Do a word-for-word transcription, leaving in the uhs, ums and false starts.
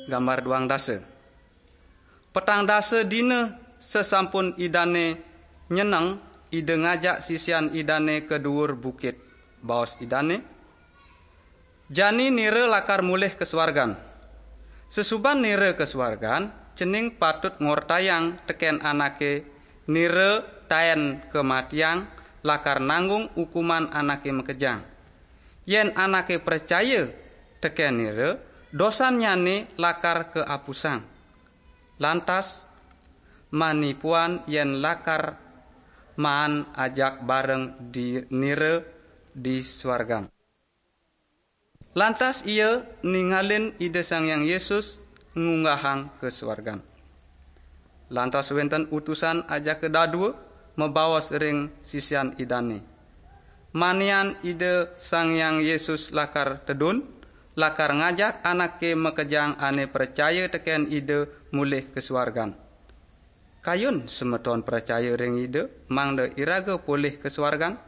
Gambar duang dasa. Petang dasa dina sesampun Idane nyeneng, Ida ngajak sisian Idane ke duur bukit. Baos Idane, "Jani nira lakar mulih ke suargan. Sesuban nira ke suargan, cening patut ngortayang teken anake nira taen ke matiang lakar nanggung ukuman anake makejang. Yen anake pracaya teken nira, dosannyane lakar keapusang. Lantas, manipuan yen lakar maan ajak bareng di nira di suargan." Lantas ia ningalin Ida Sang Hyang Yesus ngunggahang ke suargan. Lantas wenten utusan ajaka dadua mabaos ring sisian Idane, "Manian Ida Sang Hyang Yesus lakar tedun, lakar ngajak anake makejang ane pracaya teken Ida mulih ke suargan. Kayun semeton pracaya ring Ida, mangda iraga polih ke suargan?"